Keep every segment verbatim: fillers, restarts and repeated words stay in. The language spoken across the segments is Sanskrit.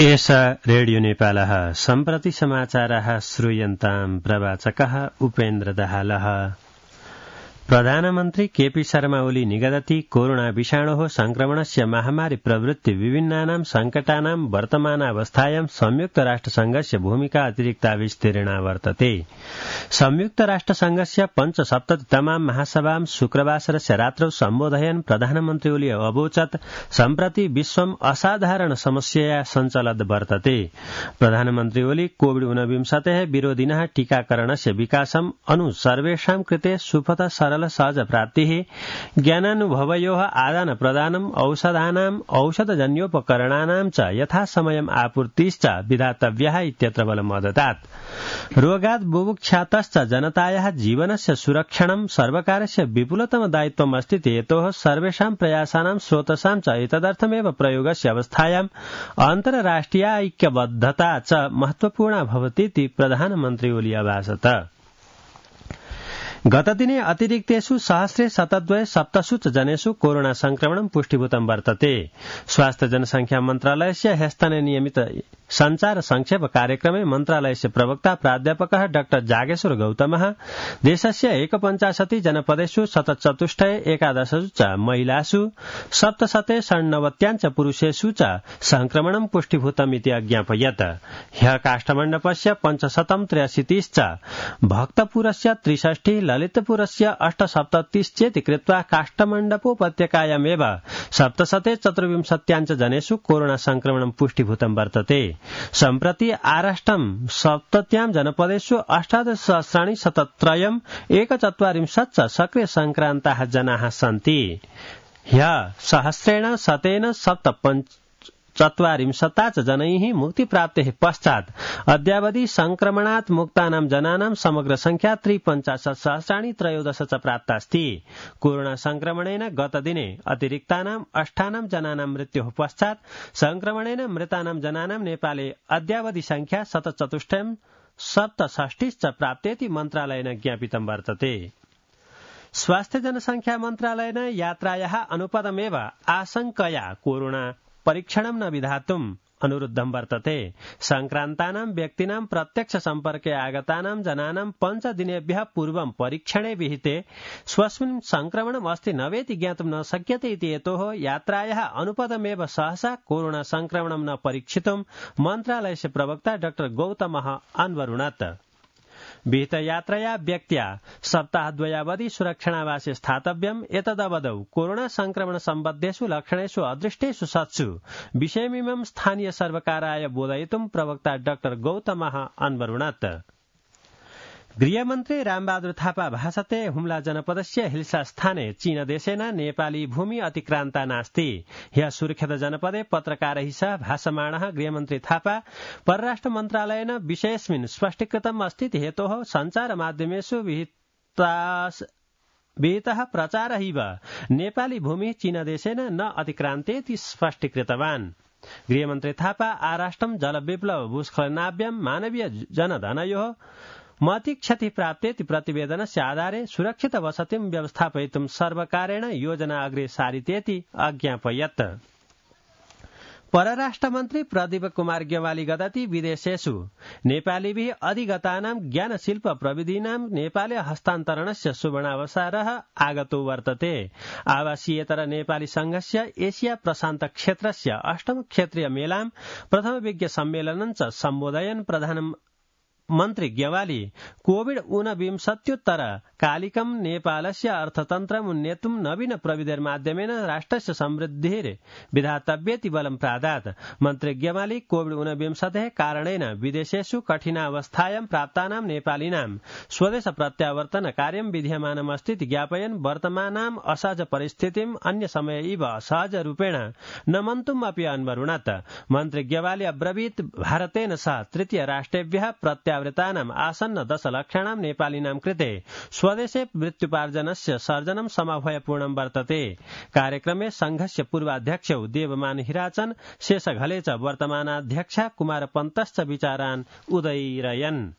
एषा रेडियो नेपालः सम्प्रति समाचारः श्रूयन्ताम् प्रवाचकः उपेन्द्र दाहालः। प्रधानमन्त्री केपी शर्मा ओली निगदति कोरोना विषाणोः संक्रमणस्य महामारी प्रवृत्ति विभिन्नानां संकटानां वर्तमानावस्थायां संयुक्त राष्ट्रसंघस्य भूमिका अतिरिक्ता विस्तीर्णा वर्तते। संयुक्त राष्ट्रसंघस्य पञ्चसप्ततितमां महासभां शुक्रवासरस्य रात्रौ सम्बोधयन् प्रधानमन्त्री ओली अवोचत् सम्प्रति विश्वम् असाधारण समस्यया सञ्चलद् वर्तते। प्रधानमन्त्री ओली कोविड ऊनविंशतेः विरोधिनः टीकाकरणस्य विकासम् अनु सर्वेषां कृते सुपथ सरल सहज प्राप्तिः ज्ञानानुभवयोः आदान प्रदानम् औषधानाम् औषधजन्योपकरणानां च यथासमयम् आपूर्तिश्च विधातव्यः इत्यत्र बलम् अददात्। रोगात् बुभुक्षातश्च जनतायाः जीवनस्य सुरक्षणं सर्वकारस्य विपुलतम दायित्वम् अस्ति हेतोः सर्वेषां प्रयासानां स्रोतसां च एतदर्थमेव प्रयोगस्य अवस्थायाम् अन्तर्राष्ट्रिय ऐक्यबद्धता च महत्वपूर्णा भवतीति प्रधानमन्त्री ओली अभाषत। गतदिने अतिरिक्तेषु सहस्रे शतद्वय सप्तसु च जनेषु कोरोना संक्रमणं पुष्टिभूतं वर्तते। स्वास्थ्य जनसंख्या मन्त्रालयस्य ह्यस्तने नियमित संचार संक्षेप कार्यक्रमे मन्त्रालयस्य प्रवक्ता प्राध्यापकः डाक्टर जागेश्वर गौतमः देशस्य एकपञ्चाशति जनपदेषु शतचतुष्टये एकादशसु च महिलासु सप्तशते षण्णवत्याञ्च पुरुषेषु च संक्रमणं पुष्टिभूतमिति अज्ञापयत्। ह्यः काष्ठमण्डपस्य पञ्चशतं त्र्यशीतिश्च भक्तपुरस्य त्रिषष्टिः ललितपुरस्य अष्टसप्ततिश्चेति कृत्वा काष्ठमण्डपोपत्यकायामेव सप्तशते चतुर्विंशत्याञ्च जनेषु कोरोना संक्रमणं पुष्टिभूतं वर्तते। सम्प्रति आराष्ट्रं सप्तत्यां जनपदेषु अष्टादशसहस्राणि शतत्रयम् एकचत्वारिंशत् च सक्रिय संक्रान्ताः जनाः सन्ति। ह्यः सहस्रेण शतेन सप्तपञ्च चत्वारिंशता च जनैः मुक्तिप्राप्तेः पश्चात् अद्यावधि संक्रमणात् मुक्तानां जनानां समग्र संख्या त्रिपञ्चाशत् सहस्राणि त्रयोदश च प्राप्तास्ति। कोरोना संक्रमणेन गतदिने अतिरिक्तानां अष्टानां जनानां मृत्योः पश्चात् संक्रमणेन मृतानां जनानां नेपाले अद्यावधि संख्या शतचतुष्टयं सप्तषष्टिश्च प्राप्तेति मन्त्रालयेन ज्ञापितं वर्तते। स्वास्थ्य जनसंख्या मन्त्रालयेन यात्रायाः अनुपदमेव आशंकया कोरोना परीक्षणं न विधातुम् अनुरुद्धं वर्तते। संक्रान्तानां व्यक्तीनां प्रत्यक्ष सम्पर्के आगतानां जनानां पञ्चदिनेभ्यः पूर्वं परीक्षणे विहिते स्वस्मिन् संक्रमणम् अस्ति न वेति ज्ञातुं न शक्यते इति हेतोः यात्रायाः अनुपदमेव सहसा कोरोना संक्रमणं न परीक्षितुं मन्त्रालयस्य प्रवक्ता डाक्टर गौतमः अन्वरुणत्। विहितयात्रया व्यक्त्या सप्ताहद्वयावधि सुरक्षणावासे स्थातव्यम्। एतदवधौ कोरोना संक्रमण सम्बद्धेषु लक्षणेषु अदृष्टेषु सत्सु विषयमिमं स्थानीय सर्वकाराय बोधयितुं प्रवक्ता डाक्टर गौतमः अन्वरुणत्। गृहमन्त्री रामबहादुर थापा भाषते हुम्ला जनपदस्य हिल्सा स्थाने चीनदेशेन नेपाली भूमि अतिक्रान्ता नास्ति। ह्यः सुर्खेत जनपदे पत्रकारैः सह भाषमाणः गृहमन्त्री थापा परराष्ट्र मन्त्रालयेन विषयेऽस्मिन् स्पष्टीकृतम् अस्ति हेतोः सञ्चार माध्यमेषु विहितः प्रचारैव नेपाली भूमिः चीनदेशेन न अतिक्रान्तेति स्पष्टीकृतवान्। गृहमन्त्री थापा आराष्ट्रं जलविप्लव भूस्खलनाभ्यां मानवीय जनधनयोः महती क्षति प्राप्तेति प्रतिवेदनस्य आधारे सुरक्षित वसतिं व्यवस्थापयितुं सर्वकारेण योजना अग्रे सारितेति अज्ञापयत्। परराष्ट्रमन्त्री प्रदीप कुमार गेवाली गदति विदेशेषु नेपालीभिः अधिगतानां ज्ञानशिल्प प्रविधीनां नेपाले हस्तान्तरणस्य सुवर्णावसरः आगतो वर्तते। आवासीयेतर नेपाली संघस्य एशिया प्रशान्त क्षेत्रस्य अष्टम क्षेत्रीय मेलां प्रथम विज्ञ सम्मेलनं च सम्बोधयन् प्रधान मन्त्री गेवाली कोविड ऊनविंशत्युत्तर कालिकं नेपालस्य अर्थतन्त्रम् उन्नेतुं नवीन प्रविधिर्माध्यमेन राष्ट्रस्य समृद्धिर् विधातव्येति बलं प्रादात्। मन्त्री गेवाली कोविड ऊनविंशतेः कारणेन विदेशेषु कठिनावस्थायां प्राप्तानां नेपालिनां स्वदेश प्रत्यावर्तन कार्यं विधीयमानमस्तीति ज्ञापयन् वर्तमानाम् असहज परिस्थितिम् अन्य समय इव सहज रूपेण नमन्तुम् अपि अन्वरुणत्। मन्त्री गेवाली अब्रवीत् भारतेन सह तृतीय राष्ट्रेभ्यः प्रत्या वृतानाम् आसन्न दशलक्षाणां नेपालिनां कृते स्वदेशे मृत्युपार्जनस्य सर्जनं समभयपूर्णं वर्तते। कार्यक्रमे संघस्य पूर्वाध्यक्षौ देवमान हिराचन शेषघले च वर्तमानाध्यक्षा कुमार पन्तश्च विचारान् उदयिरयन्।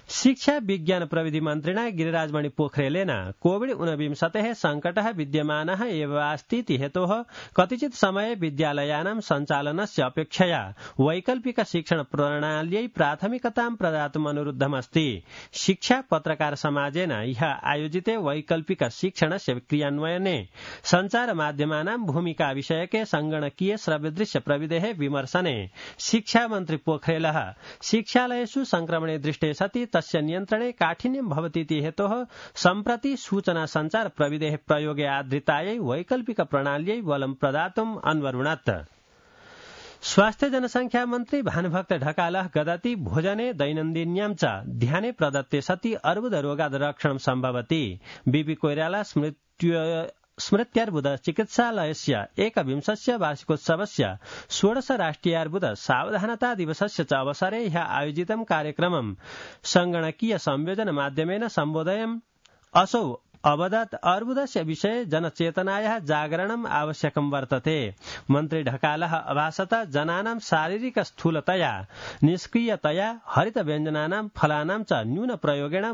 शिक्षा विज्ञान प्रविधि मन्त्रिणा गिरिराजमणि पोखरेलेन कोविड ऊनविंशतेः सङ्कटः विद्यमानः एव अस्ति हेतोः कतिचित् समये विद्यालयानां सञ्चालनस्य अपेक्षया वैकल्पिक शिक्षण प्रणाल्यै प्राथमिकतां प्रदातुम् अनुरुद्धमस्ति। शिक्षा पत्रकार समाजेन ह्यः आयोजिते वैकल्पिक शिक्षणस्य क्रियान्वयने सञ्चार माध्यमानां भूमिका विषयके संगणकीय श्रव्यदृश्य प्रविधेः विमर्शने शिक्षा मन्त्री पोखरेलः शिक्षालयेषु संक्रमणे दृष्टे सति तस्य नियन्त्रणे काठिन्यं भवतीति हेतोः सम्प्रति सूचना सञ्चार प्रविधेः प्रयोगे आधृतायै वैकल्पिक प्रणाल्यै बलं प्रदातुम् अन्वरुणत्। स्वास्थ्य जनसंख्या मन्त्री भानुभक्त ढकालः गदति भोजने दैनन्दिन्यां च ध्याने प्रदत्ते सति अर्बुद रोगाद रक्षणं सम्भवति। बीपी कोइराला स्मृत्य स्मृत्यार्बुद चिकित्सालयस्य एकविंशस्य वार्षिकोत्सवस्य षोडश राष्ट्रियार्बुद सावधानता दिवसस्य च अवसरे ह्यः आयोजितं कार्यक्रमं संगणकीय संयोजन माध्यमेन सम्बोधयन् असौ अवदत् अर्बुदस्य विषये जनचेतनायाः जागरणम् आवश्यकं वर्तते। मन्त्री ढकालः अभासत जनानां शारीरिक स्थूलतया निष्क्रियतया हरित व्यञ्जनानां फलानां च न्यून प्रयोगेण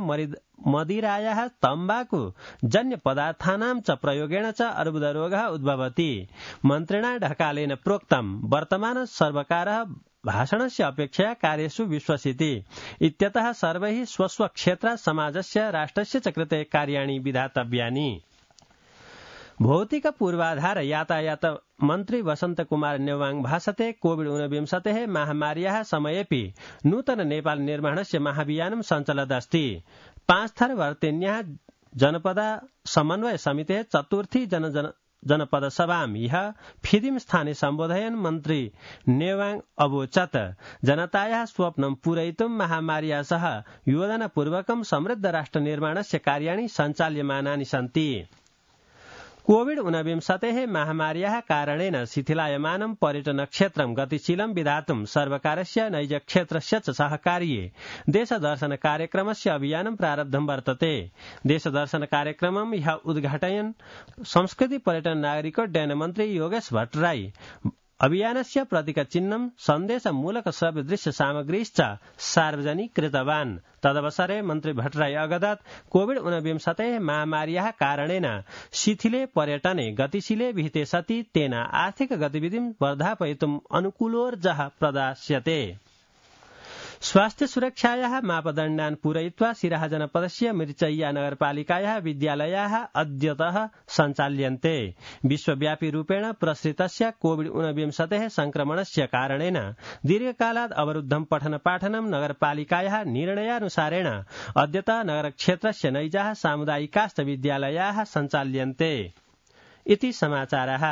मदिरायाः तम्बाकु जन्य पदार्थानां च प्रयोगेण च अर्बुदरोगः उद्भवति। मन्त्रिणा ढकालेन प्रोक्तं वर्तमान सर्वकारः भाषणस्य अपेक्षया कार्येषु विश्वसिति इत्यतः सर्वैः स्वस्वक्षेत्र समाजस्य राष्ट्रस्य च कृते कार्याणि विधातव्यानि। भौतिक पूर्वाधार यातायात मन्त्री वसन्त कुमार नेवाङ भाषते कोविड ऊनविंशतेः महामार्याः समयेपि नूतन नेपाल निर्माणस्य महाभियानं सञ्चलदस्ति। पाँचथर वर्तेन्याः जनपद समन्वय समितेः चतुर्थी जन जन जनपद सभां ह्यः फिदिम स्थाने सम्बोधयन् मन्त्री नेवाङ अवोचत् जनतायाः स्वप्नं पूरयितुं महामार्या सह योजनापूर्वकं समृद्ध राष्ट्र निर्माणस्य कार्याणि सञ्चाल्यमानानि सन्ति। कोविड ऊनविंशतेः महामार्याः कारणेन शिथिलायमानं पर्यटन क्षेत्रं गतिशीलं विधातुं सर्वकारस्य नैजक्षेत्रस्य च सहकार्ये देशदर्शन कार्यक्रमस्य अभियानं प्रारब्धं वर्तते। देशदर्शन कार्यक्रमं ह्यः उद्घाटयन् संस्कृति पर्यटन नागरिकोड्डयन मन्त्री योगेश भट्टराई अभियानस्य प्रतीकचिह्नं सन्देशमूलक श्रव्यदृश्य सामग्रीश्च सार्वजनिक कृतवान्। तदवसरे मन्त्री भट्टराई अगदत् कोविड ऊनविंशतेः महामार्याः कारणेन शिथिले पर्यटने गतिशीले विहिते सति तेन आर्थिक गतिविधिं वर्धापयितुम् अनुकूलोर्जः प्रदास्यते। स्वास्थ्य सुरक्षायाः मापदण्डान् पूरयित्वा सिराहा जनपदस्य मिर्चय्या नगरपालिकायाः विद्यालयाः अद्यतः सञ्चाल्यन्ते। विश्वव्यापी रूपेण प्रसृतस्य कोविड ऊनविंशतेः संक्रमणस्य कारणेन दीर्घकालात् अवरुद्धं पठन पाठनं नगरपालिकायाः निर्णयानुसारेण अद्यतः नगरक्षेत्रस्य नैजाः सामुदायिकाश्च विद्यालयाः सञ्चाल्यन्ते इति समाचारः।